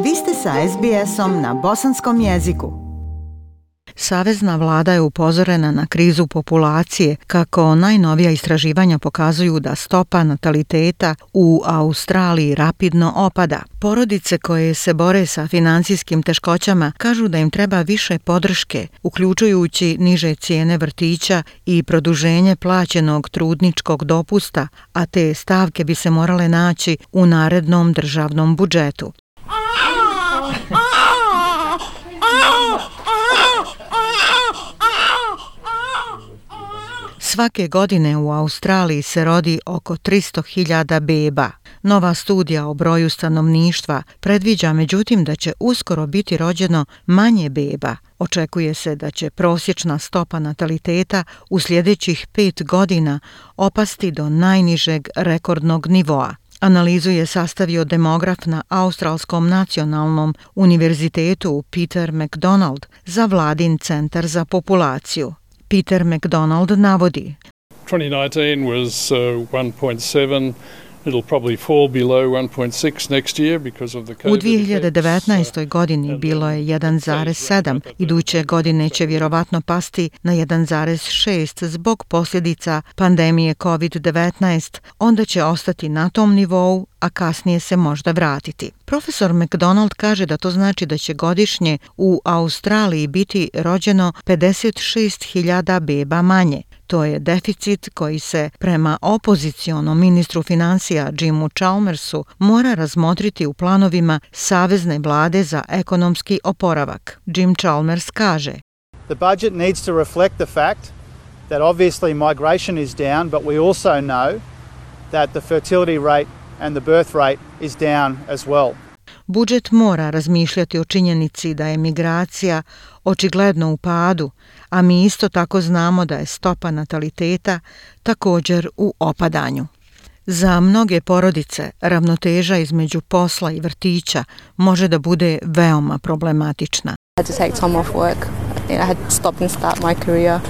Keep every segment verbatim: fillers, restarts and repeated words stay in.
Vi ste sa es be esom na bosanskom jeziku. Savezna vlada je upozorena na krizu populacije, kako najnovija istraživanja pokazuju da stopa nataliteta u Australiji rapidno opada. Porodice koje se bore sa financijskim teškoćama kažu da im treba više podrške, uključujući niže cijene vrtića i produženje plaćenog trudničkog dopusta, a te stavke bi se morale naći u narednom državnom budžetu. Svake godine u Australiji se rodi oko tristo hiljada beba. Nova studija o broju stanovništva predviđa međutim da će uskoro biti rođeno manje beba. Očekuje se da će prosječna stopa nataliteta u sljedećih pet godina opasti do najnižeg rekordnog nivoa. Analizu je sastavio demograf na Australskom nacionalnom univerzitetu Peter McDonald za vladin centar za populaciju. Peter McDonald navodi: twenty nineteen was uh, one point seven. It'll probably fall below one point six next year because of the COVID. U dvije hiljade devetnaestoj. godini bilo je jedan zarez sedam, iduće godine će vjerovatno pasti na jedan zarez šest zbog posljedica pandemije kovid devetnaest, onda će ostati na tom nivou, a kasnije se možda vratiti. Profesor McDonald kaže da to znači da će godišnje u Australiji biti rođeno pedeset šest hiljada beba manje. To je deficit koji se prema opozicionom ministru financija Jimu Chalmersu mora razmotriti u planovima savezne vlade za ekonomski oporavak. Jim Chalmers kaže: The budget needs to reflect the fact that obviously migration is down, but we also know that the fertility rate and the birth rate is down as well. Budžet mora razmišljati o činjenici da je migracija očigledno u padu, a mi isto tako znamo da je stopa nataliteta također u opadanju. Za mnoge porodice ravnoteža između posla i vrtića može da bude veoma problematična. I had to take time off work. I had to stop and start my career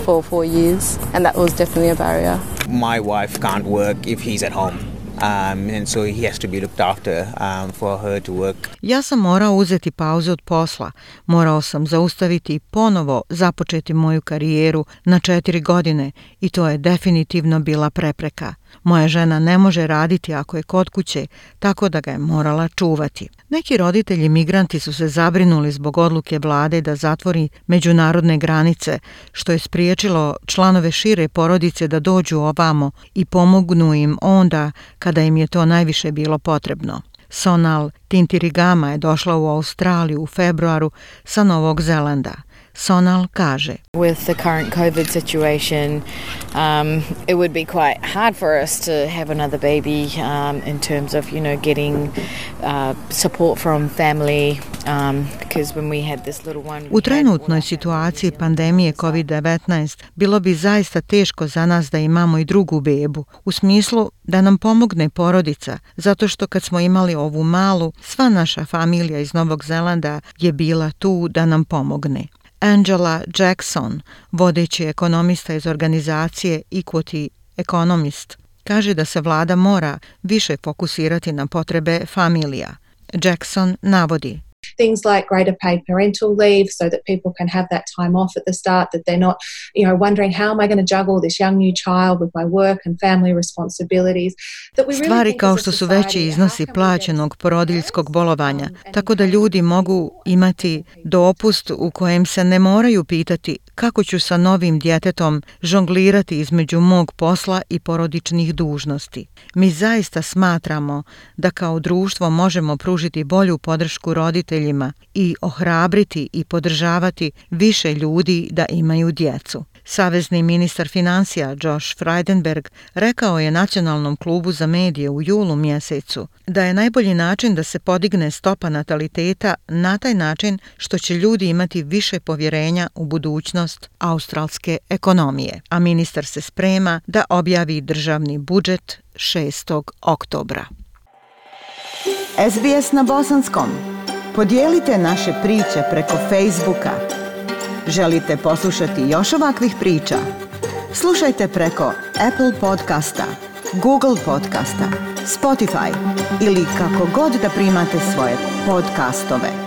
for four years and that was definitely a barrier. My wife can't work if he's at home. Um, and so he has to be looked after um, for her to work. Ja sam morao uzeti pauzu od posla. Morao sam zaustaviti i ponovo započeti moju karijeru na četiri godine i to je definitivno bila prepreka. Moja žena ne može raditi ako je kod kuće, tako da ga je morala čuvati. Neki roditelji migranti su se zabrinuli zbog odluke vlade da zatvori međunarodne granice, što je spriječilo članove šire porodice da dođu ovamo i pomognu im onda kada im je to najviše bilo potrebno. Sonal Tintirigama je došla u Australiju u februaru sa Novog Zelanda. Sonal kaže: With the current COVID situation, um, it would be quite hard for us to have another baby um, in terms of, you know, getting uh, support from family um, because when we had this little one... U trenutnoj situaciji pandemije kovid devetnaest bilo bi zaista teško za nas da imamo i drugu bebu, u smislu da nam pomogne porodica, zato što kad smo imali ovu malu, sva naša familija iz Novog Zelanda je bila tu da nam pomogne. Angela Jackson, vodeći ekonomista iz organizacije Equity Economist, kaže da se vlada mora više fokusirati na potrebe familija. Jackson navodi: Things like greater paid parental leave so that people can have that time off at the start, that they're not, you know, wondering how am I going to juggle this young new child with my work and family responsibilities. That we really Stvari kao što su veći iznosi plaćenog porodiljskog bolovanja, tako da ljudi mogu imati dopust u kojem se ne moraju pitati kako ću sa novim djetetom žonglirati između mog posla i porodičnih dužnosti. Mi zaista smatramo da kao društvo možemo pružiti bolju podršku roditeljima i ohrabriti i podržavati više ljudi da imaju djecu. Savezni ministar financija Josh Frydenberg rekao je Nacionalnom klubu za medije u julu mjesecu da je najbolji način da se podigne stopa nataliteta na taj način što će ljudi imati više povjerenja u budućnost australske ekonomije, a ministar se sprema da objavi državni budžet šestog oktobra. es be es na bosanskom. Podijelite naše priče preko Facebooka. Želite poslušati još ovakvih priča? Slušajte preko Apple podcasta, Google podcasta, Spotify ili kako god da primate svoje podcastove.